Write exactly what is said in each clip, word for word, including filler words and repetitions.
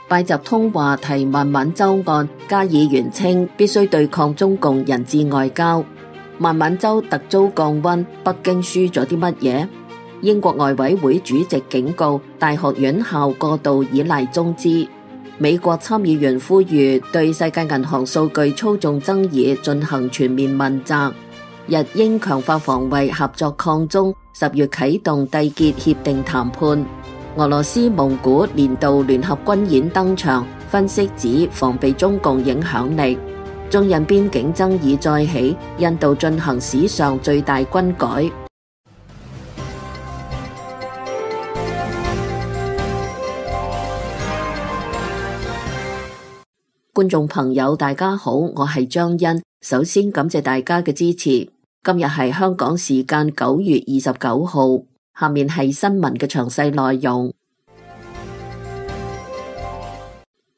拜習通話提孟晚舟案，加議員稱必須對抗中共人質外交。孟晚舟突遭降溫，北京輸咗啲乜嘢？英國外委會主席警告大學院校過度依賴中資。美國參議員呼籲對世界銀行數據操縱爭議進行全面問責。日英強化防衛合作抗中，十月啟動締結協定談判。俄羅斯蒙古年度聯合軍演登場，分析指防備中共影響力。中印邊境爭議再起，印度進行史上最大軍改。觀眾朋友大家好，我係張欣，首先感謝大家嘅支持。今日係香港時間九月二十九號，下面係新聞嘅詳細內容。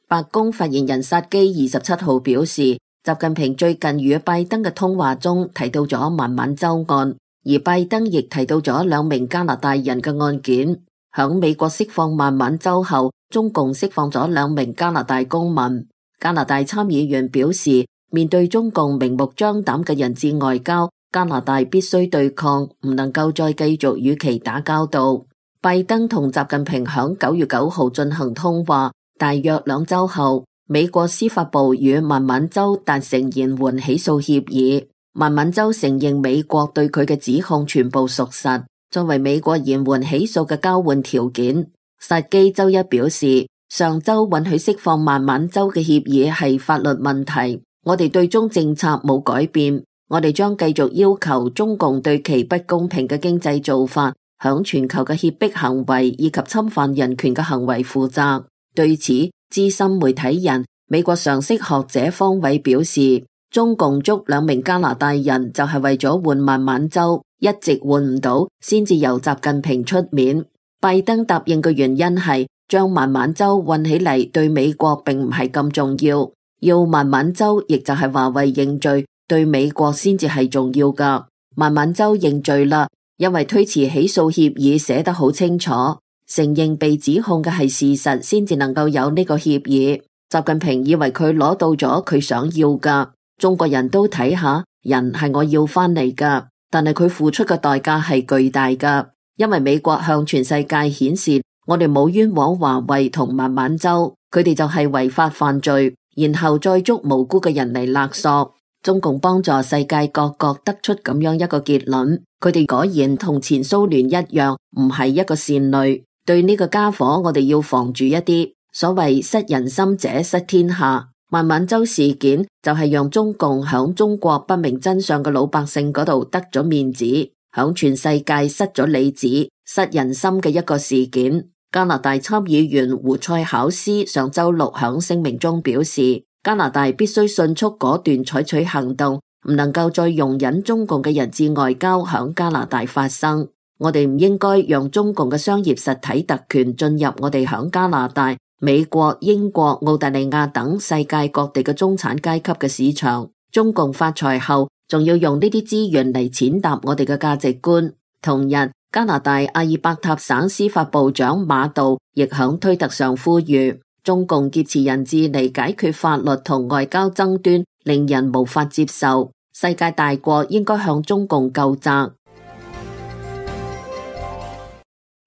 白宮發言人薩基二十七號表示，習近平最近與拜登嘅通話中提到咗孟晚舟案，而拜登亦提到咗兩名加拿大人嘅案件。響美國釋放孟晚舟後，中共釋放咗兩名加拿大公民。加拿大參議員表示，面對中共明目張膽嘅人質外交，加拿大必須對抗，唔能夠再繼續與其打交道。拜登同習近平響九月九號進行通話，大約兩周後，美國司法部與孟晚舟達成延緩起訴協議。孟晚舟承認美國對佢嘅指控全部屬實，作為美國延緩起訴嘅交換條件。薩基周一表示，上周允許釋放孟晚舟嘅協議係法律問題，我哋對中政策冇改變，我哋將繼續要求中共對其不公平嘅經濟做法、響全球嘅脅迫行為以及侵犯人權嘅行為負責。對此，資深媒體人、美國常識學者方偉表示，中共捉兩名加拿大人就係為咗換孟晚舟，一直換唔到，先至由習近平出面。拜登答應嘅原因係，將孟晚舟運起嚟對美國並唔係咁重要，要孟晚舟亦就係華為認罪，對美國先至係重要噶。孟晚舟認罪啦，因為推遲起訴協議寫得好清楚，承認被指控嘅係事實，先至能夠有呢個協議。習近平以為佢攞到咗佢想要噶，中國人都睇下，人係我要翻嚟噶，但係佢付出嘅代價係巨大噶，因為美國向全世界顯示，我哋冇冤枉華為同孟晚舟，佢哋就係違法犯罪，然後再捉無辜嘅人嚟勒索。中共幫助世界各國得出咁樣一個結論，佢哋果然同前蘇聯一樣，唔係一個善類。對呢個家伙，我哋要防住一啲。所謂失人心者失天下，孟晚舟事件就係讓中共響中國不明真相嘅老百姓嗰度得咗面子，響全世界失咗里子、失人心嘅一個事件。加拿大參議員胡塞考斯上周六響聲明中表示，加拿大必須迅速果斷採取行動，唔能夠再容忍中共嘅人質外交響加拿大發生。我哋唔應該讓中共嘅商業實體特權進入我哋響加拿大、美國、英國、澳大利亞等世界各地嘅中產階級嘅市場。中共發財後，仲要用呢啲資源嚟踐踏我哋嘅價值觀。同日，加拿大阿爾伯塔省司法部長馬道亦響推特上呼籲，中共劫持人質嚟解決法律同外交爭端，令人無法接受。世界大國應該向中共究責。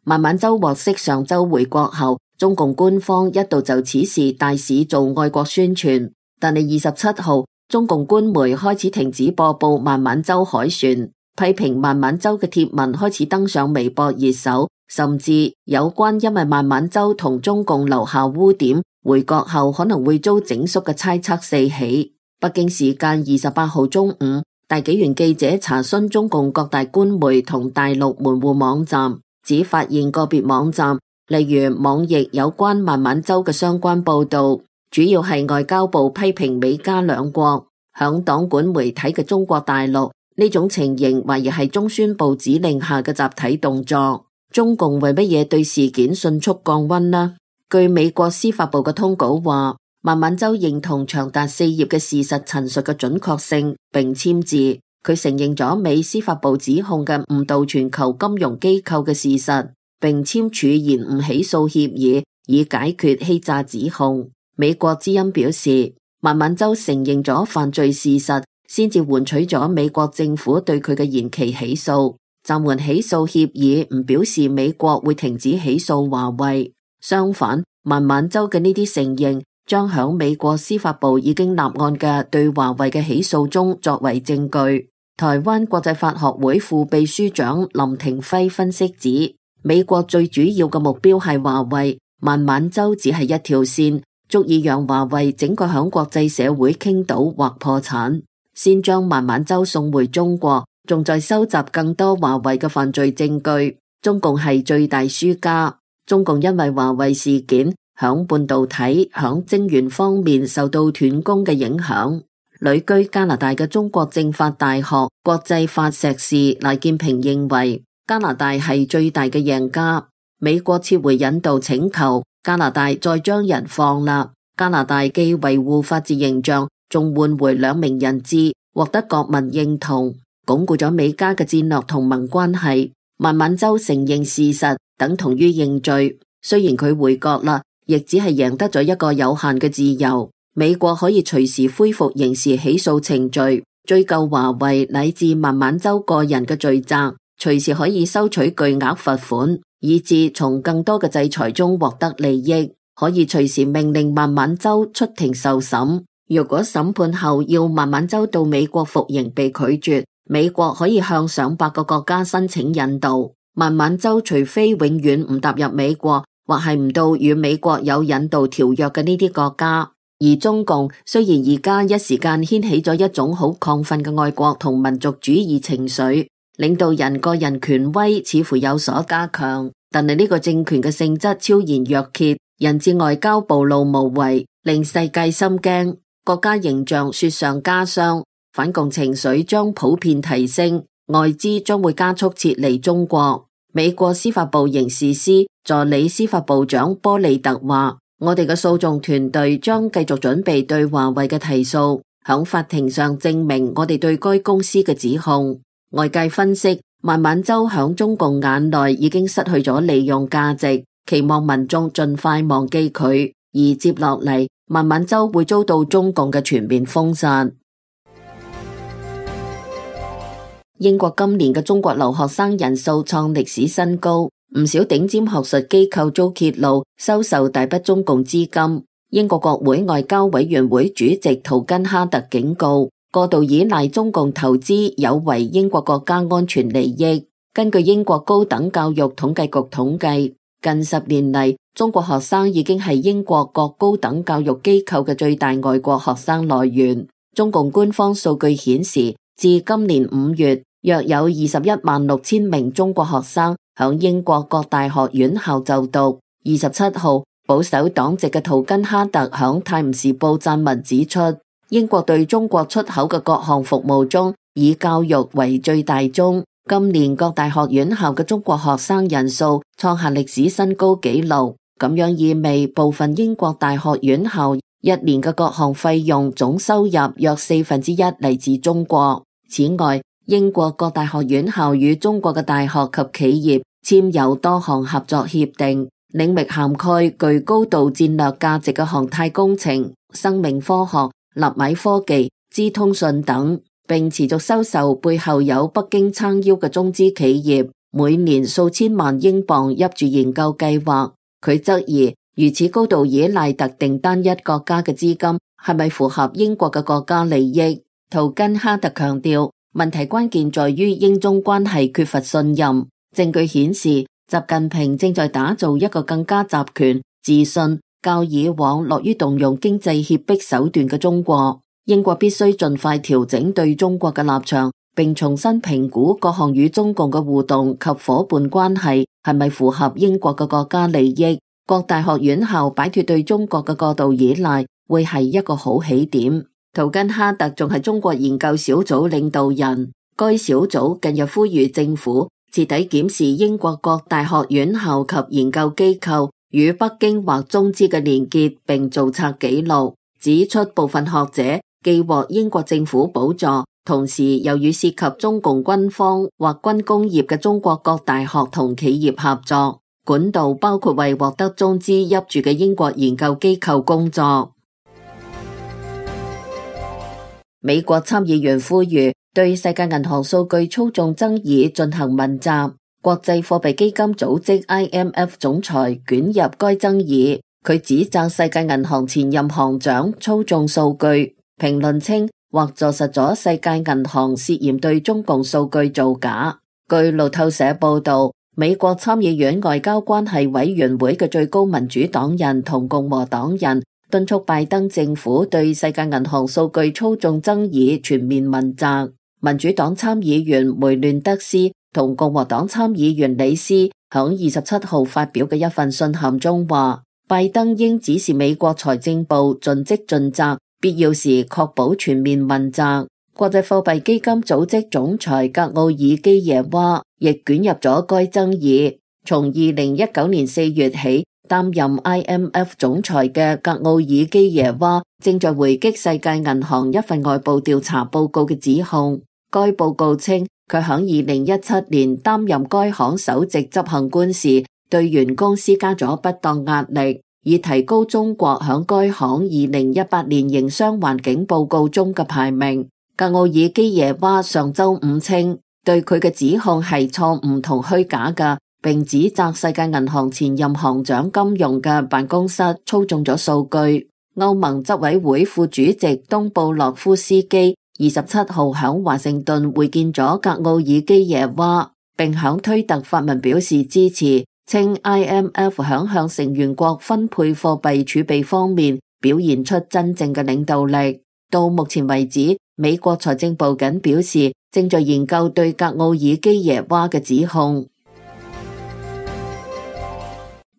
孟晚舟獲釋上周回國後，中共官方一度就此事大肆做愛國宣傳，但係二十七號，中共官媒開始停止播報孟晚舟凱旋。批評孟晚舟嘅貼文開始登上微博熱搜，甚至有關因為孟晚舟同中共留下污點，回國後可能會遭整肅嘅猜測四起。北京時間二十八號中午，大紀元記者查詢中共各大官媒同大陸門戶網站，只發現個別網站，例如網易有關孟晚舟嘅相關報道，主要係外交部批評美加兩國響黨管媒體嘅中國大陸。呢種情形懷疑係中宣部指令下嘅集體動作。中共為乜嘢對事件迅速降溫呢？據美國司法部嘅通稿話，孟晚舟認同長達四頁嘅事實陳述嘅準確性，並簽字。佢承認咗美司法部指控嘅誤導全球金融機構嘅事實，並簽署延誤起訴協議，以解決欺詐指控。美國之音表示，孟晚舟承認咗犯罪事實，先至換取咗美國政府對佢嘅延期起訴。暫緩起訴協議唔表示美國會停止起訴華為，相反，孟晚舟嘅呢啲承認將響美國司法部已經立案嘅對華為嘅起訴中作為證據。台灣國際法學會副秘書長林廷輝分析指，美國最主要嘅目標係華為，孟晚舟只係一條線，足以讓華為整個響國際社會傾倒或破產。先將孟晚舟送回中國，仲在收集更多華為嘅犯罪證據。中共係最大輸家。中共因為華為事件響半導體、響晶圓方面受到斷供嘅影響。旅居加拿大嘅中國政法大學國際法碩士賴建平認為，加拿大係最大嘅贏家。美國撤回引渡請求，加拿大再將人放啦。加拿大既維護法治形象，仲換回兩名人質，獲得國民認同，鞏固咗美加嘅戰略同盟關係。孟晚舟承認事實，等同於認罪。雖然佢回國啦，亦只係贏得咗一個有限嘅自由。美國可以隨時恢復刑事起訴程序，追究華為乃至孟晚舟個人嘅罪責，隨時可以收取巨額罰款，以致從更多嘅制裁中獲得利益。可以隨時命令孟晚舟出庭受審。如果審判後要孟晚舟到美國服刑被拒絕，美國可以向上百個國家申請引渡。孟晚舟除非永遠唔踏入美國，或係唔到與美國有引渡條約嘅呢啲國家。而中共雖然而家一時間掀起咗一種好亢奮嘅愛國同民族主義情緒，領導人個人權威似乎有所加強，但係呢個政權嘅性質超然若揭，人質外交暴露無遺，令世界心驚，國家形象雪上加霜，反共情緒將普遍提升，外資將會加速撤離中國。美國司法部刑事司助理司法部長波利特話，我哋嘅訴訟團隊將繼續準備對華為嘅提訴，響法庭上證明我哋對該公司嘅指控。外界分析，孟晚舟響中共眼內已經失去咗利用價值，期望民眾盡快忘記佢，而接落嚟孟晚舟會遭到中共嘅全面封殺。英國今年嘅中國留學生人數創歷史新高，唔少頂尖學術機構遭揭露收受大筆中共資金。英國國會外交委員會主席圖根哈特警告，過度依賴中共投資有違英國國家安全利益。根據英國高等教育統計局統計，近十年嚟，中國學生已經係英國各高等教育機構嘅最大外國學生來源。中共官方數據顯示，至今年五月，約有二十一萬六千名中國學生響英國各大學院校就讀。二十七號，保守黨籍嘅圖根哈特響《泰晤士報》撰文指出，英國對中國出口嘅各項服務中，以教育為最大宗。今年各大學院校嘅中國學生人數創下歷史新高紀錄，咁樣意味部分英國大學院校一年嘅各項費用總收入約四分之一嚟自中國。此外，英國各大學院校與中國嘅大學及企業簽有多項合作協定，領域涵蓋具高度戰略價值嘅航太工程、生命科學、納米科技、資通訊等，並持續收受背後有北京撐腰嘅中資企業每年數千萬英鎊挹注研究計劃。佢質疑，如此高度依賴特定單一國家嘅資金係咪符合英國嘅國家利益？圖根哈特強調，問題關鍵在於英中關係缺乏信任。證據顯示，習近平正在打造一個更加集權、自信、較以往樂於動用經濟脅迫手段嘅中國。英國必須盡快調整對中國嘅立場，並重新評估各項與中共嘅互動及夥伴關係係咪符合英國嘅國家利益。各大學院校擺脫對中國嘅過度依賴，會係一個好起點。圖根哈特仲係中國研究小組領導人，該小組近日呼籲政府徹底檢視英國各大學院校及研究機構與北京或中資嘅連結，並造冊記錄，指出部分學者既獲英國政府補助，同時又與涉及中共軍方或軍工業嘅中國各大學同企業合作。管道包括為獲得中資挹注嘅英國研究機構工作。美國參議員呼籲對世界銀行數據操縱爭議進行問責，國際貨幣基金組織 I M F 總裁捲入該爭議。佢指責世界銀行前任行長操縱數據，評論稱或坐實咗世界銀行涉嫌對中共數據造假。據路透社報道，美國參議院外交關係委員會嘅最高民主黨人同共和黨人敦促拜登政府對世界銀行數據操縱爭議全面問責。民主黨參議員梅亂德斯同共和黨參議員李斯響二十七號發表嘅一份信函中話，拜登應指示美國財政部盡職盡責，必要時確保全面問責。國際貨幣基金組織總裁格奧爾基耶娃亦捲入咗該爭議。從二零一九年四月起擔任 I M F 總裁嘅格奧爾基耶娃正在回擊世界銀行一份外部調查報告嘅指控。該報告稱，佢響二零一七年擔任該行首席執行官時，對員工施加咗不當壓力，以提高中國響該行二零一八年營商環境報告中嘅排名。格奧爾基耶娃上周五稱，對佢嘅指控係錯誤同虛假嘅，並指責世界銀行前任行長金融嘅辦公室操縱咗數據。歐盟執委會副主席東布洛夫斯基二十七號響華盛頓會見咗格奧爾基耶娃，並響推特發文表示支持，稱 I M F 響向成員國分配貨幣儲備方面表現出真正嘅領導力。到目前為止，美國財政部僅表示正在研究對格奧爾基耶娃嘅指控。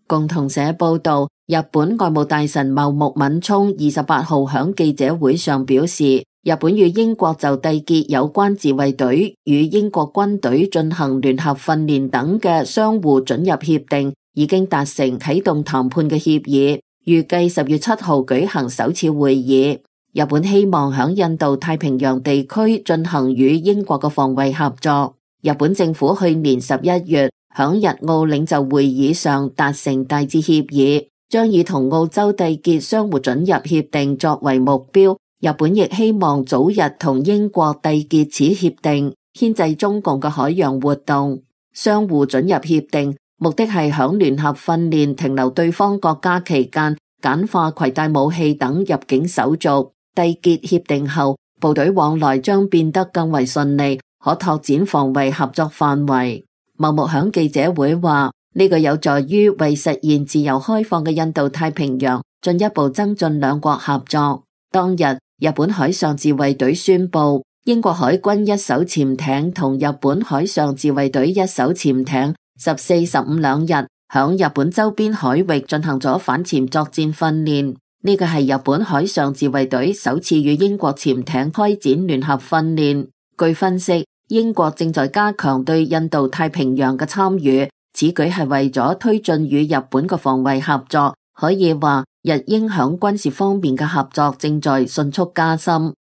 共同社報道，日本外務大臣茂木敏充二十八號響記者會上表示，日本與英國就締結有關自衛隊與英國軍隊進行聯合訓練等嘅相互准入協定已經達成啟動談判嘅協議，預計十月七號舉行首次會議。日本希望響印度太平洋地區進行與英國嘅防衛合作。日本政府去年十一月響日澳領袖會議上達成大致協議，將以同澳洲締結相互准入協定作為目標。日本亦希望早日同英國締結此協定，牽制中共嘅海洋活動。相互准入協定目的係響聯合訓練停留對方國家期間，簡化攜帶武器等入境手續。締結協定後，部隊往來將變得更為順利，可拓展防衛合作範圍。茂木響記者會話，呢個有助於為實現自由開放嘅印度太平洋進一步增進兩國合作。當日，日本海上自衛隊宣布，英國海軍一艘潛艇同日本海上自衛隊一艘潛艇十四、十五兩日響日本周邊海域進行咗反潛作戰訓練。呢個係日本海上自衛隊首次與英國潛艇開展聯合訓練。據分析，英國正在加強對印度太平洋嘅參與，此舉係為咗推進與日本嘅防衛合作。可以話，日英響軍事方面嘅合作正在迅速加深。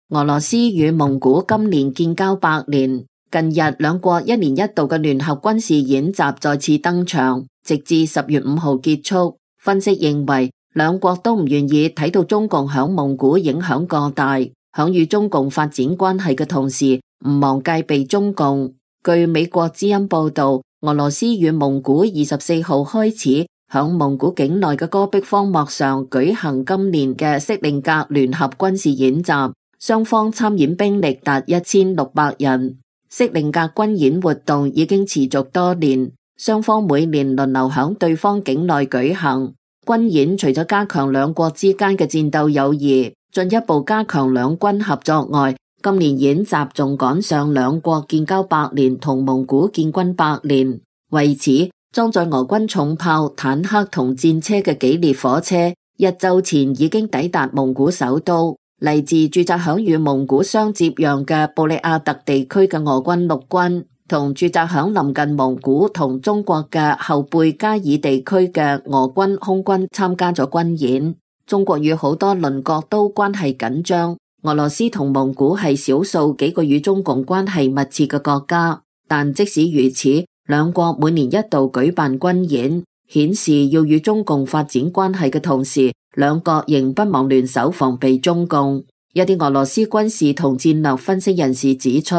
俄羅斯與蒙古今年建交百年，近日兩國一年一度嘅聯合軍事演習再次登場，直至十月五號結束。分析認為，兩國都唔願意睇到中共響蒙古影響過大，響與中共發展關係嘅同時，唔忘戒備中共。據美國之音報道，俄羅斯與蒙古二十四號開始響蒙古境內嘅戈壁荒漠上舉行今年嘅色令格聯合軍事演習，雙方參演兵力達一千六百人。色令格軍演活動已經持續多年，雙方每年輪流響對方境內舉行。軍演除咗加強兩國之間嘅戰鬥友誼，進一步加強兩軍合作外，今年演習仲趕上兩國建交百年同蒙古建軍百年。為此，裝載俄軍重炮、坦克同戰車嘅幾列火車，一周前已經抵達蒙古首都。嚟自駐紮響與蒙古相接壤嘅布里亞特地區嘅俄軍陸軍，同駐紮響臨近蒙古同中國嘅後貝加爾地區嘅俄軍空軍參加咗軍演。中國與好多鄰國都關係緊張，俄羅斯同蒙古係少數幾個與中共關係密切嘅國家。但即使如此，兩國每年一度舉辦軍演，顯示要與中共發展關係嘅同時，兩國仍不忘聯手防備中共。一啲俄羅斯軍事同戰略分析人士指出，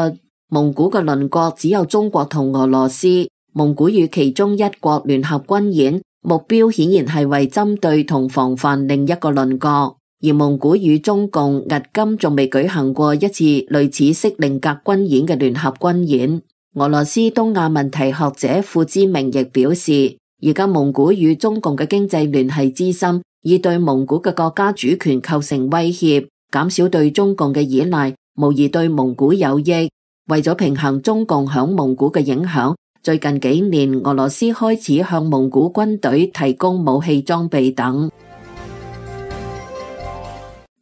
蒙古嘅鄰國只有中國同俄羅斯，蒙古與其中一國聯合軍演，目標顯然係為針對同防範另一個鄰國。而蒙古與中共迄今仲未舉行過一次類似色令格軍演嘅聯合軍演。俄羅斯東亞問題學者傅之明亦表示，而家蒙古與中共嘅經濟聯繫之深，已對蒙古嘅國家主權構成威脅，減少對中共嘅依賴，無疑對蒙古有益。為咗平衡中共響蒙古嘅影響，最近幾年俄羅斯開始向蒙古軍隊提供武器裝備等。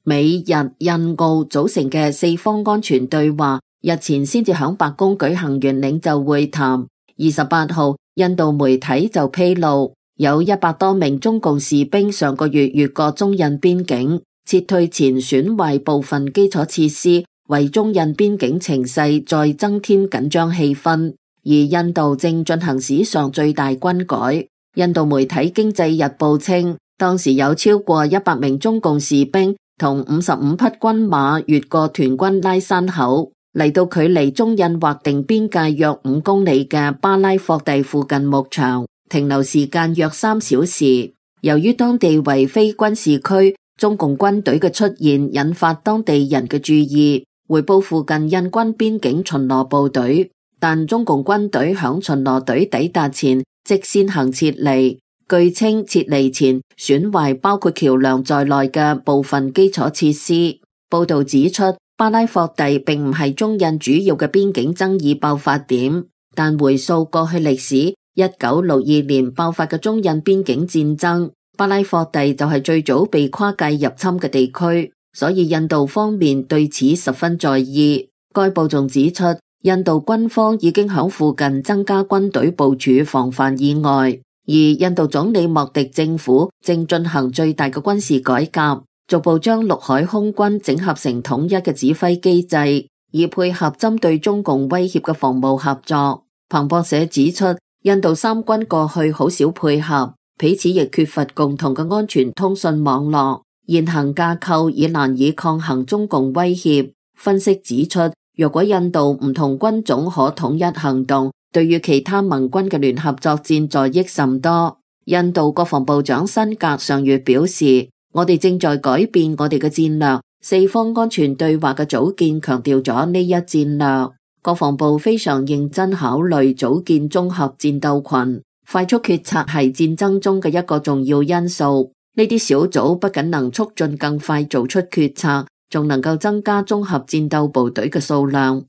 美日印澳組成嘅四方安全對話日前先至響白宮舉行完領袖會談。二十八號，印度媒體就披露，有一百多名中共士兵上個月越過中印邊境，撤退前損壞部分基礎設施，為中印邊境情勢再增添緊張氣氛。而印度正進行史上最大軍改。印度媒體《經濟日報》稱，當時有超過一百名中共士兵同五十五匹軍馬越過屯軍拉山口，嚟到距離中印劃定邊界約五公里嘅巴拉霍地附近牧場，停留時間約三小時。由於當地為非軍事區，中共軍隊嘅出現引發當地人嘅注意，回報附近印軍邊境巡邏部隊，但中共軍隊響巡邏隊抵達前即先行撤離。據稱撤離前損壞包括橋樑在內嘅部分基礎設施。報道指出，巴拉霍地並唔係中印主要嘅邊境爭議爆發點，但回溯過去歷史，一九六二年爆發嘅中印邊境戰爭，巴拉霍地就係最早被跨界入侵嘅地區，所以印度方面對此十分在意。該報仲指出，印度軍方已經響附近增加軍隊部署防範意外。而印度總理莫迪政府正進行最大嘅軍事改革，逐步將陸海空軍整合成統一嘅指揮機制，以配合針對中共威脅嘅防務合作。彭博社指出，印度三軍過去好少配合，彼此亦缺乏共同嘅安全通訊網絡，現行架構已難以抗衡中共威脅。分析指出，若果印度唔同軍種可統一行動，對於其他盟軍嘅聯合作戰助益甚多。印度國防部長辛格上月表示，我哋正在改變我哋嘅戰略，四方安全對話嘅組建強調咗呢一戰略。國防部非常認真考慮組建綜合戰鬥群，快速決策係戰爭中嘅一個重要因素。呢啲小組不僅能促進更快做出決策，仲能夠增加綜合戰鬥部隊嘅數量。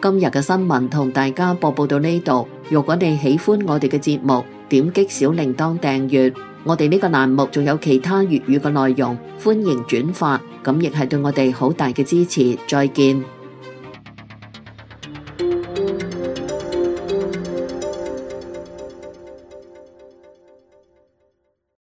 今日嘅新聞同大家播報到呢度。如果你喜歡我哋嘅節目，點擊小鈴鐺訂閱。我哋呢個欄目仲有其他粵語嘅內容，歡迎轉發，咁亦係對我哋好大嘅支持。再見。